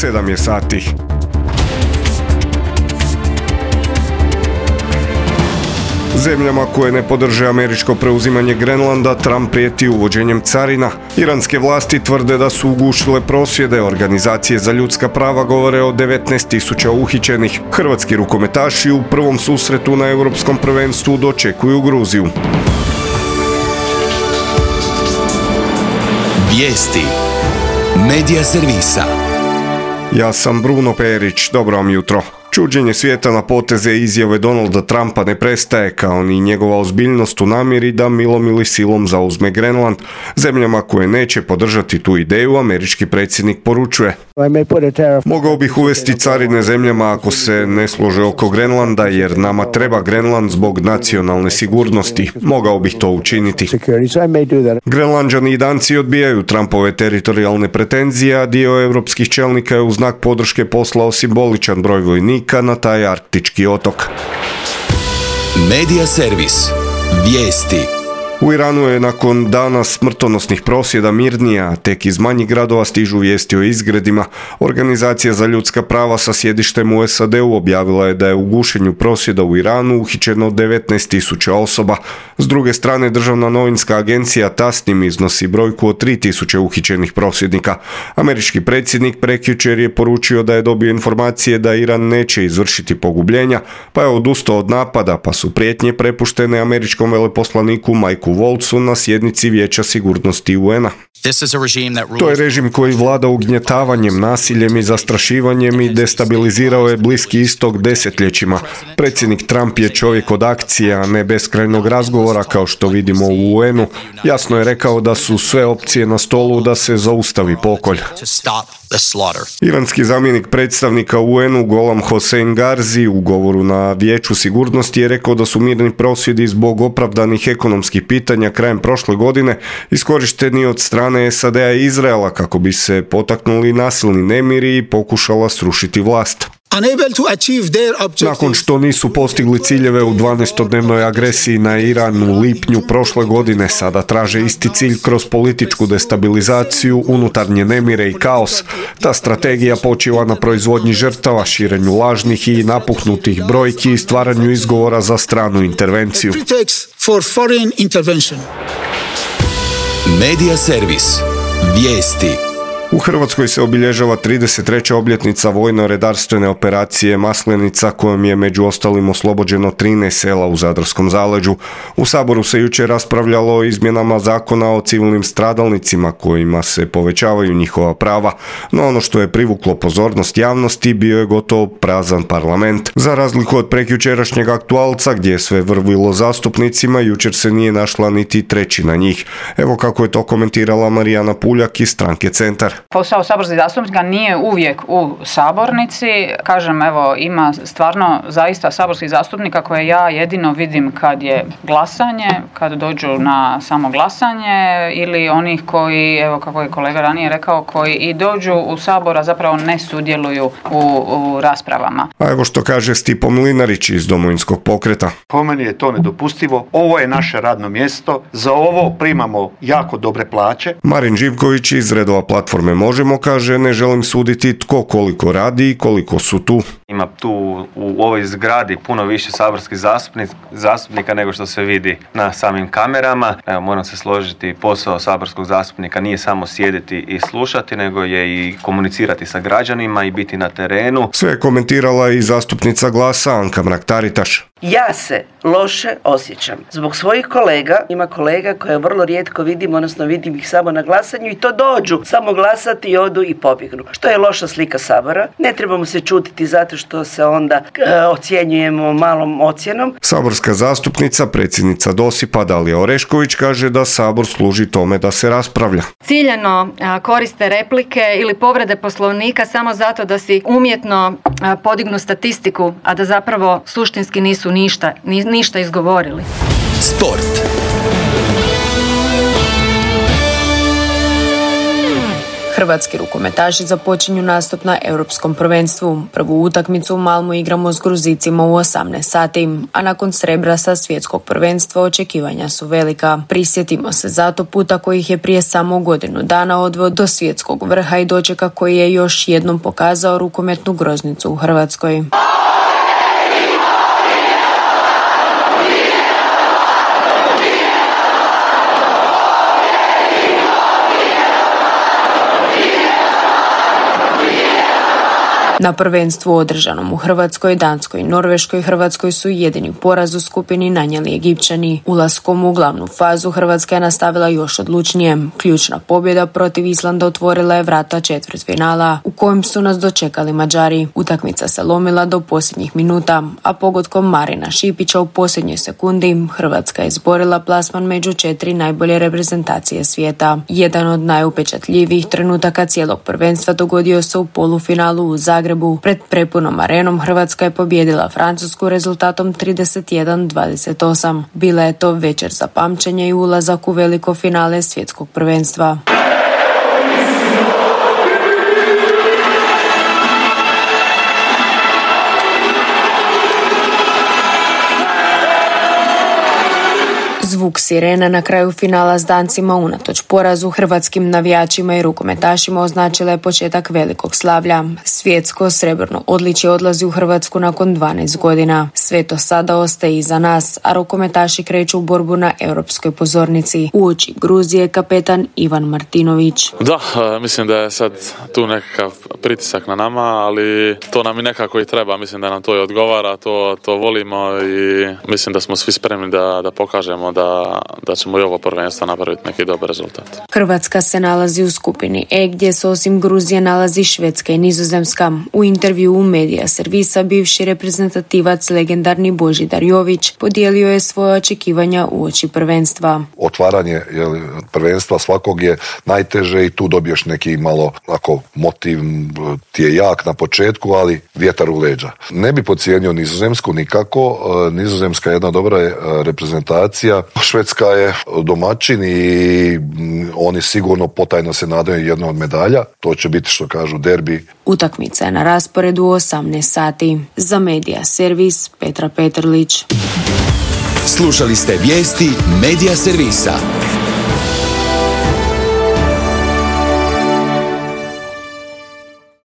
7 je sati. Zemljama koje ne podrže američko preuzimanje Grenlanda, Trump prijeti uvođenjem carina. Iranske vlasti tvrde da su ugušile prosvjede. Organizacije za ljudska prava govore o 19.000 uhićenih. Hrvatski rukometaši u prvom susretu na europskom prvenstvu dočekuju Gruziju. Vijesti Medija servisa. Ja sam Bruno Perić, dobro vam jutro. Čuđenje svijeta na poteze i izjave Donalda Trumpa ne prestaje, kao ni njegova ozbiljnost u namjeri da milom ili silom zauzme Grenland. Zemljama koje neće podržati tu ideju, američki predsjednik poručuje: mogao bih uvesti carine zemljama ako se ne slože oko Grenlanda, jer nama treba Grenland zbog nacionalne sigurnosti. Mogao bih to učiniti. Grenlanđani i Danci odbijaju Trumpove teritorijalne pretenzije, a dio europskih čelnika je u znak podrške poslao simboličan broj vojnika na taj arktički otok. Medija servis. Vijesti. U Iranu je nakon dana smrtonosnih prosvjeda mirnije, a tek iz manjih gradova stižu vijesti o izgredima. Organizacija za ljudska prava sa sjedištem u SAD-u objavila je da je u gušenju prosvjeda u Iranu uhićeno 19.000 osoba. S druge strane, državna novinska agencija Tasnim iznosi brojku od 3.000 uhićenih prosvjednika. Američki predsjednik prekjučer je poručio da je dobio informacije da Iran neće izvršiti pogubljenja, pa je odustao od napada, pa su prijetnje prepuštene američkom veleposlaniku Mikeu Volcu na sjednici Vijeća sigurnosti UN-a. To je režim koji vlada ugnjetavanjem, nasiljem i zastrašivanjem i destabilizirao je Bliski istok desetljećima. Predsjednik Trump je čovjek od akcije, a ne beskrajnog razgovora kao što vidimo u UN-u. Jasno je rekao da su sve opcije na stolu da se zaustavi pokolj. Iranski zamjenik predstavnika UN-u Golam Hossein Garzi u govoru na Vijeću sigurnosti je rekao da su mirni prosvjedi zbog opravdanih ekonomskih pitanja krajem prošle godine iskorišteni od strane SAD-a i Izraela kako bi se potaknuli nasilni nemiri i pokušala srušiti vlast. Nakon što nisu postigli ciljeve u 12-dnevnoj agresiji na Iran u lipnju prošle godine, sada traže isti cilj kroz političku destabilizaciju, unutarnje nemire i kaos. Ta strategija počiva na proizvodnji žrtava, širenju lažnih i napuhnutih brojki i stvaranju izgovora za stranu intervenciju. Medija servis. Vijesti. U Hrvatskoj se obilježava 33. obljetnica vojno-redarstvene operacije Maslenica, kojom je među ostalim oslobođeno 13 sela u Zadarskom zaleđu. U Saboru se jučer raspravljalo o izmjenama zakona o civilnim stradalnicima kojima se povećavaju njihova prava, no ono što je privuklo pozornost javnosti bio je gotovo prazan parlament. Za razliku od prekjučerašnjeg aktualca gdje je sve vrvilo zastupnicima, jučer se nije našla niti trećina njih. Evo kako je to komentirala Marijana Puljak iz stranke Centar. Posao saborskih zastupnika nije uvijek u sabornici. Kažem, evo, ima stvarno zaista saborskih zastupnika koje ja jedino vidim kad je glasanje, kad dođu na samo glasanje, ili onih koji, evo kako je kolega ranije rekao, koji i dođu u Sabor, a zapravo ne sudjeluju u raspravama. A evo što kaže Stipo Mlinarić iz Domovinskog pokreta. Po meni je to nedopustivo. Ovo je naše radno mjesto. Za ovo primamo jako dobre plaće. Marin Živković iz redova platforme Možemo kaže: ne želim suditi tko koliko radi i koliko su tu. Ima tu u ovoj zgradi puno više saborskih zastupnika nego što se vidi na samim kamerama. Evo, moram se složiti, posao saborskog zastupnika nije samo sjediti i slušati, nego je i komunicirati sa građanima i biti na terenu. Sve je komentirala i zastupnica Glasa Anka Mrak-Taritaš. Ja se loše osjećam zbog svojih kolega. Ima kolega koje vrlo rijetko vidim, odnosno vidim ih samo na glasanju i to dođu samo glasati i odu i pobjegnu. Što je loša slika Sabora. Ne trebamo se čutiti zato što se onda ocjenjujemo malom ocjenom. Saborska zastupnica, predsjednica Dosipa Dalija Orešković kaže da Sabor služi tome da se raspravlja. Ciljano koriste replike ili povrede Poslovnika samo zato da si umjetno podignu statistiku, a da zapravo suštinski nisu ništa izgovorili. Sport. Hrvatski rukometaši započinju nastup na Europskom prvenstvu. Prvu utakmicu u Malmu igramo s Gruzicima u 18 sati, a nakon srebra sa svjetskog prvenstva očekivanja su velika. Prisjetimo se zato puta kojih je prije samo godinu dana odveo do svjetskog vrha i dočeka koji je još jednom pokazao rukometnu groznicu u Hrvatskoj. Na prvenstvu održanom u Hrvatskoj, Danskoj i Norveškoj, Hrvatskoj su jedini poraz u skupini nanijeli Egipćani. Ulaskom u glavnu fazu Hrvatska je nastavila još odlučnije. Ključna pobjeda protiv Islanda otvorila je vrata četvrtfinala u kojem su nas dočekali Mađari. Utakmica se lomila do posljednjih minuta, a pogodkom Marina Šipića u posljednjoj sekundi Hrvatska je izborila plasman među 4 najbolje reprezentacije svijeta. Jedan od najupečatljivijih trenutaka cijelog prvenstva dogodio se u polufinalu u Zagrebu. Pred prepunom arenom Hrvatska je pobijedila Francusku rezultatom 31-28. Bila je to večer za pamćenje i ulazak u veliko finale svjetskog prvenstva. Zvuk sirena na kraju finala s Dancima unatoč porazu hrvatskim navijačima i rukometašima označila je početak velikog slavlja. Svjetsko srebrno odličje odlazi u Hrvatsku nakon 12 godina. Sve to sada ostaje iza nas, a rukometaši kreću u borbu na europskoj pozornici. Uoči Gruzije kapetan Ivan Martinović. Da, mislim da je sad tu nekakav pritisak na nama, ali to nam i nekako i treba. Mislim da nam to i odgovara, to volimo i mislim da smo svi spremni da pokažemo da ćemo i ovo prvenstvo napraviti neki dobar rezultat. Hrvatska se nalazi u skupini E gdje se osim Gruzije nalazi Švedska i Nizozemska. U intervju u Medija Servisa bivši reprezentativac legendarni Božidar Jović podijelio je svoje očekivanja uoči prvenstva. Otvaranje prvenstva svakog je najteže i tu dobiješ neki malo motiv, ti je jak na početku, ali vjetar u leđa. Ne bi podcijenio Nizozemsku nikako. Nizozemska je jedna dobra reprezentacija. Švedska je domaćin i oni sigurno potajno se nadaju jedno od medalja. To će biti, što kažu, derbi. Utakmica je na rasporedu u 18 sati. Za Medija Servis Petra Petrlić. Slušali ste vijesti Medija Servisa.